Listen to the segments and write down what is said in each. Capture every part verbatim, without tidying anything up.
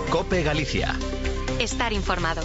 COPE Galicia. Estar informado.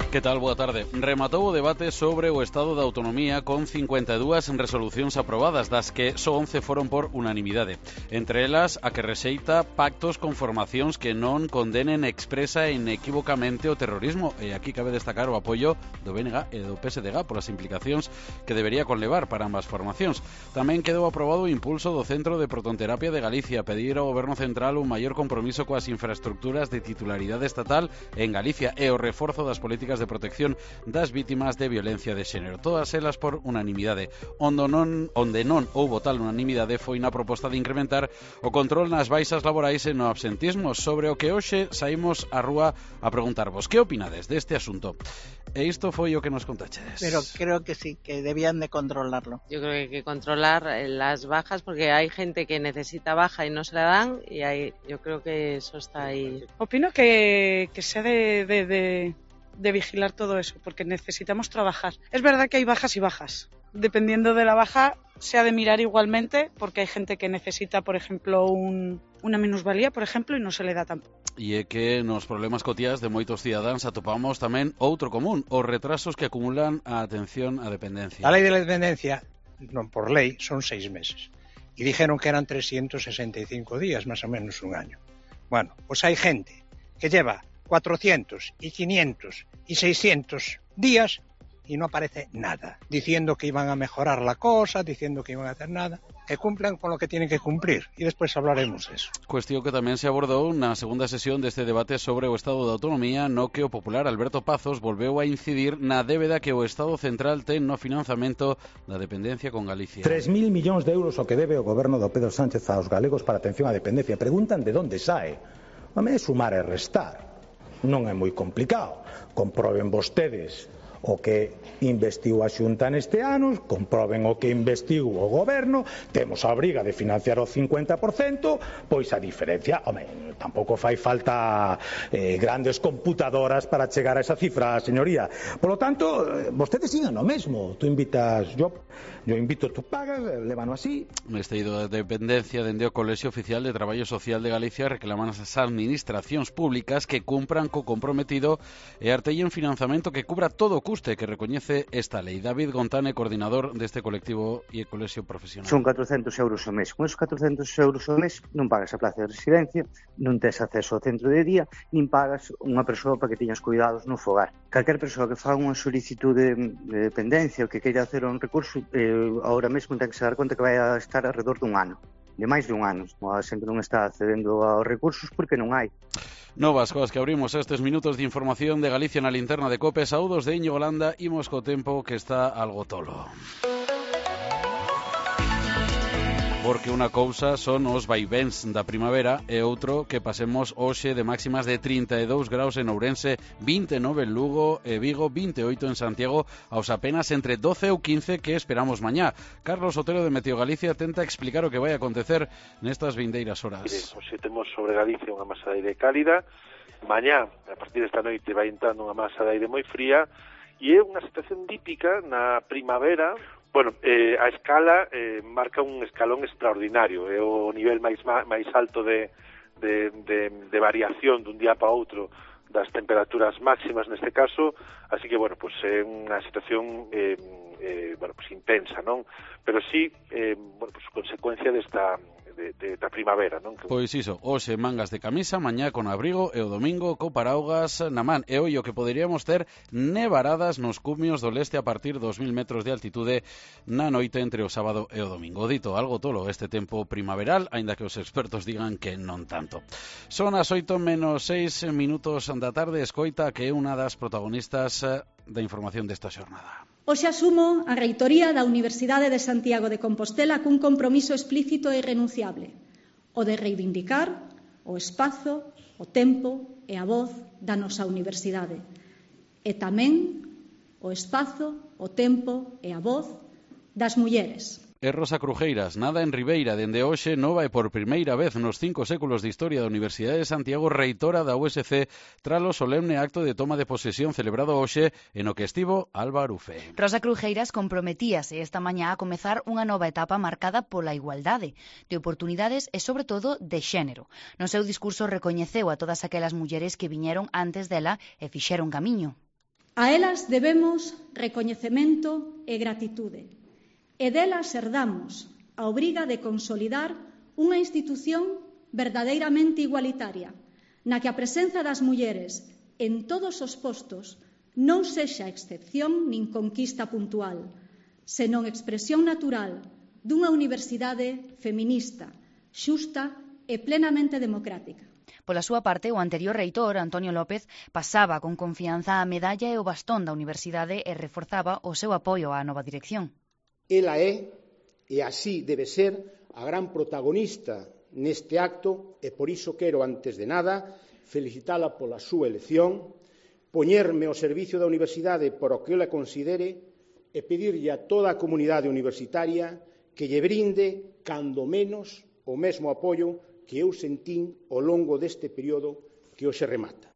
Que tal? Boa tarde. Rematou o debate sobre o Estado da Autonomía con cincuenta e dúas resolucións aprobadas, das que só once foron por unanimidade. Entre elas, a que rexeita pactos con formacións que non condenen expresa e inequívocamente o terrorismo. E aquí cabe destacar o apoio do B N G e do P S D G polas implicacións que debería conlevar para ambas formacións. Tamén quedou aprobado o impulso do Centro de Protonterapia de Galicia, pedir ao Goberno Central un maior compromiso coas infraestructuras de titularidade estatal en Galicia e o reforzo das políticas de protección das vítimas de violencia de xénero. Todas elas por unanimidade. Onde non, onde non houbo tal unanimidade foi na proposta de incrementar o control nas baixas laborais e no absentismo, sobre o que hoxe saímos á rúa a preguntarvos que opinades deste asunto. E isto foi o que nos contaches. Pero creo que sí, que debían de controlarlo. Yo creo que hay que controlar las bajas porque hay gente que necesita baja y no se la dan y hay, yo creo que eso está ahí. Opino que, que se ha de, de, de, de vigilar todo eso porque necesitamos trabajar. Es verdad que hay bajas y bajas. Dependiendo de la baja se ha de mirar igualmente porque hay gente que necesita, por ejemplo, un, una minusvalía, por ejemplo, y no se le da tampoco. E é que nos problemas cotiás de moitos cidadáns atopamos tamén outro común, os retrasos que acumulan a atención á dependencia. A lei de la dependencia, non por lei, son seis meses. E dixeron que eran trescientos sesenta e cinco días, máis ou menos un año. Bueno, pois hai gente que lleva cuatrocientos y quinientos y seiscientos días y no aparece nada, diciendo que iban a mejorar la cosa, diciendo que iban a hacer nada, que cumplan con lo que tienen que cumplir, y después hablaremos de eso. Cuestión que tamén se abordou na segunda sesión deste debate sobre o Estado da Autonomía, no que o popular Alberto Pazos volveu a incidir na débeda que o Estado central ten no financiamento da dependencia con Galicia. tres mil millóns de euros o que debe o goberno do Pedro Sánchez aos galegos para atención á dependencia. Preguntan de onde sae. Home, é sumar e restar. Non é moi complicado. Comproben vostedes o que investiu a Xunta neste ano, comproben o que investiu o goberno, temos a obriga de financiar o cincuenta por cento, pois a diferencia, home, tampouco fai falta eh, grandes computadoras para chegar a esa cifra, señoría. Por lo tanto, vostedes sigan o mesmo, tú invitas, yo, yo invito, tú pagas, levano así. Neste ido de dependencia dende o Colexio Oficial de Traballo Social de Galicia reclaman as administracións públicas que cumpran co comprometido e artellen financiamento que cubra todo o custe que recoñece esta lei. David Gontane, coordinador deste colectivo e colexio profesional. Son catrocentos euros ao mes. Con esos catrocentos euros ao mes non pagas a plaza de residencia, non tes acceso ao centro de día, nin pagas unha persoa para que teñas cuidados no fogar. Calquer persoa que faga unha solicitude de dependencia ou que queira hacer un recurso, eh, ahora mesmo ten que se dar conta que vai a estar alrededor dun ano. De máis de un ano. A xente non está accedendo aos recursos porque non hai. Novas coas que abrimos estes minutos de información de Galicia na linterna de COPE. Saúdos de Íñigo Landa, imos co tempo que está algo tolo. Porque unha cousa son os vaivéns da primavera e outro que pasemos hoxe de máximas de trinta e dous graus en Ourense, vinte e nove en Lugo e Vigo, vinte e oito en Santiago, aos apenas entre doce ou quince que esperamos mañá. Carlos Otero de Meteo Galicia tenta explicar o que vai acontecer nestas vindeiras horas. Mire, hoxe temos sobre Galicia unha masa de aire cálida, mañá, a partir desta noite, vai entrando unha masa de aire moi fría e é unha situación típica na primavera. Bueno, eh, a escala eh, marca un escalón extraordinario, é o nivel máis máis alto de, de, de, de variación dun día para outro das temperaturas máximas neste caso, así que, bueno, pues é unha situación eh, eh, bueno, pues intensa, non? Pero sí, eh, bueno, pues consecuencia desta de, de, da primavera, non? Pois iso, hoxe mangas de camisa, mañá con abrigo e o domingo co paraugas na man. E ollo que poderíamos ter nevaradas nos cumios do leste a partir dos mil metros de altitude na noite entre o sábado e o domingo. Dito, algo tolo este tempo primaveral, aínda que os expertos digan que non tanto. Son as oito menos seis minutos da tarde, escoita que é unha das protagonistas da información desta xornada. Hoxe asumo a reitoría da Universidade de Santiago de Compostela cun compromiso explícito e irrenunciable, o de reivindicar o espazo, o tempo e a voz da nosa universidade, e tamén o espazo, o tempo e a voz das mulleres. E Rosa Crujeiras, nada en Ribeira, dende hoxe nova e por primeira vez nos cinco séculos de historia da Universidade de Santiago reitora da U S C tralo solemne acto de toma de posesión celebrado hoxe e no que estivo Alba Arufe. Rosa Crujeiras comprometíase esta mañá a comezar unha nova etapa marcada pola igualdade, de oportunidades e sobre todo de xénero. No seu discurso recoñeceu a todas aquelas mulleres que viñeron antes dela e fixeron camiño. A elas debemos recoñecemento e gratitude. E delas herdamos a obriga de consolidar unha institución verdadeiramente igualitaria, na que a presenza das mulleres en todos os postos non sexa excepción nin conquista puntual, senón expresión natural dunha universidade feminista, xusta e plenamente democrática. Pola súa parte, o anterior reitor, Antonio López, pasaba con confianza a medalla e o bastón da universidade e reforzaba o seu apoio á nova dirección. Ela é, e así debe ser, a gran protagonista neste acto e por iso quero, antes de nada, felicitala pola súa elección, poñerme ao servicio da universidade por o que ela considere e pedirlle a toda a comunidade universitaria que lle brinde, cando menos, o mesmo apoio que eu sentín ao longo deste período que hoxe remata.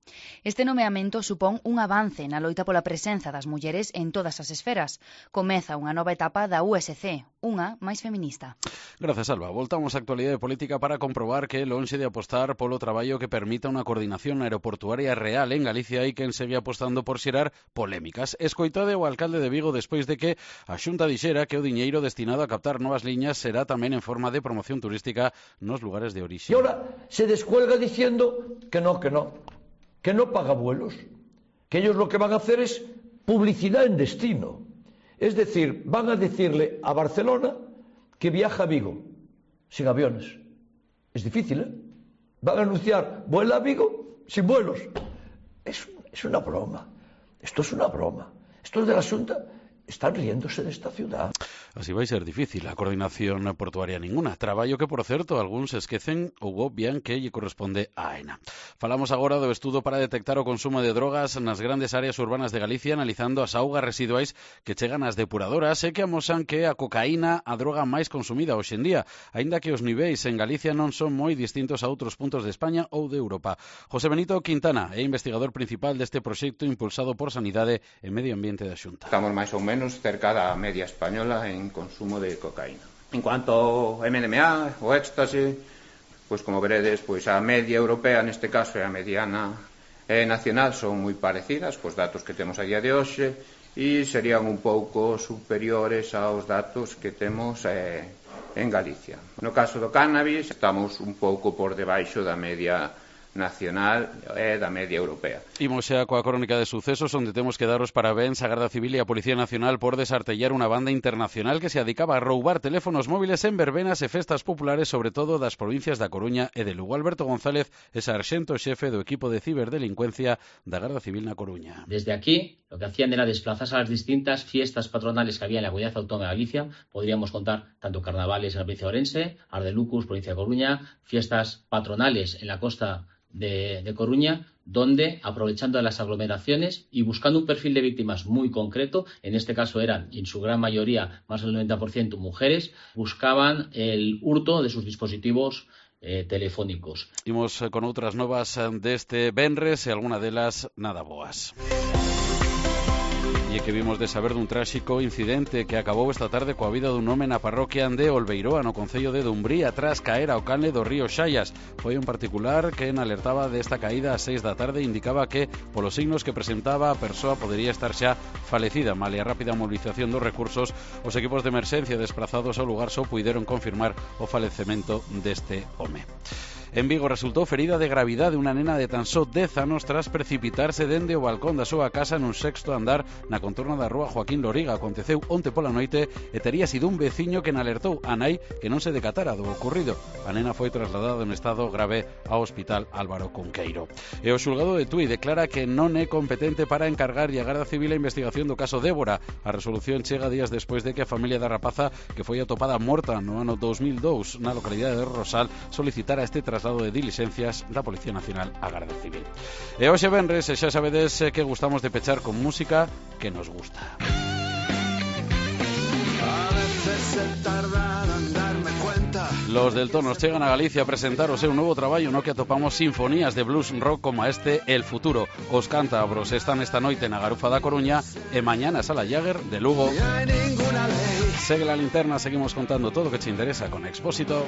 Este nomeamento supón un avance na loita pola presenza das mulleres en todas as esferas. Comeza unha nova etapa da U S C, unha máis feminista. Gracias, Alba. Voltamos á actualidade política para comprobar que, lonxe de apostar polo traballo que permita unha coordinación aeroportuaria real en Galicia, hai quen segue apostando por xerar polémicas. Escoitade o alcalde de Vigo despois de que a Xunta dixera que o diñeiro destinado a captar novas liñas será tamén en forma de promoción turística nos lugares de orixe. E ahora se descuelga diciendo que no, que no. que no paga vuelos, que ellos lo que van a hacer es publicidad en destino. Es decir, van a decirle a Barcelona que viaja a Vigo, sin aviones. Es difícil, ¿eh? Van a anunciar, vuela a Vigo, sin vuelos. Es, es una broma. Esto es una broma. Estos de la Xunta están riéndose de esta ciudad. Así vai ser difícil a coordinación portuaria ninguna. Traballo que, por certo, algúns esquecen ou obvian que lle corresponde a AENA. Falamos agora do estudo para detectar o consumo de drogas nas grandes áreas urbanas de Galicia, analizando as augas residuais que chegan ás depuradoras e que amosan que a cocaína a droga máis consumida hoxe en día, aínda que os niveis en Galicia non son moi distintos a outros puntos de España ou de Europa. José Benito Quintana é investigador principal deste proxecto impulsado por Sanidade e Medio Ambiente da Xunta. Estamos máis ou menos cerca da media española en consumo de cocaína. En cuanto ao M D M A, o éxtase, pois como veredes, pois a media europea neste caso e a mediana e nacional son moi parecidas cos datos que temos a día de hoxe e serían un pouco superiores aos datos que temos eh, en Galicia. No caso do cannabis estamos un pouco por debaixo da media nacional e da media europea. Imos xa coa crónica de sucesos onde temos que daros parabéns á Garda Civil e á Policía Nacional por desartellar unha banda internacional que se adicaba a roubar teléfonos móviles en verbenas e festas populares, sobre todo das provincias da Coruña e de Lugo. Alberto González é sarxento xefe do equipo de ciberdelincuencia da Garda Civil na Coruña. Desde aquí, lo que hacían era desplazarse a las distintas fiestas patronales que había en la Comunidad Autónoma de Galicia. Podríamos contar tanto carnavales en la provincia de Ourense, Ardelucus, provincia de Coruña, fiestas patronales en la costa De, de Coruña, donde, aprovechando las aglomeraciones y buscando un perfil de víctimas muy concreto, en este caso eran, en su gran mayoría, más del noventa por ciento mujeres, buscaban el hurto de sus dispositivos eh, telefónicos. Imos con outras novas deste venres e alguna delas nada boas. E que vimos de saber dun tráxico incidente que acabou esta tarde coa vida dun home na parroquia de Olveiroa, no concello de Dumbría, tras caer ao canle do río Xallas. Foi un particular que en alertaba desta caída ás seis da tarde, indicaba que, polos signos que presentaba, a persoa podería estar xa falecida. Male a rápida movilización dos recursos, os equipos de emerxencia desprazados ao lugar só puideron confirmar o falecemento deste home. En Vigo resultou ferida de gravidade unha nena de tan só dez anos tras precipitarse dende o balcón da súa casa nun sexto andar na contorna da rúa Joaquín Loriga. Aconteceu onte pola noite e tería sido un veciño que alertou a nai que non se decatara do ocorrido. A nena foi trasladada en estado grave ao Hospital Álvaro Cunqueiro. E o xulgado de Tui declara que non é competente para encargarlle a Garda Civil a investigación do caso Débora. A resolución chega días despois de que a familia da rapaza, que foi atopada morta no ano dos mil dous na localidade de Rosal, solicitara este traslado de diligencias da Policía Nacional á Garda Civil. E hoxe venres, xa sabedes que gustamos de pechar con música que nos gusta. A veces se tarda Los del Tonos chegan a Galicia a presentar o seu novo traballo no que atopamos sinfonías de blues rock como este El Futuro. Os cántabros están esta noite na Garufa da Coruña e mañana Sala Jagger de Lugo. Segue la linterna, seguimos contando todo o que te interesa con Expósito.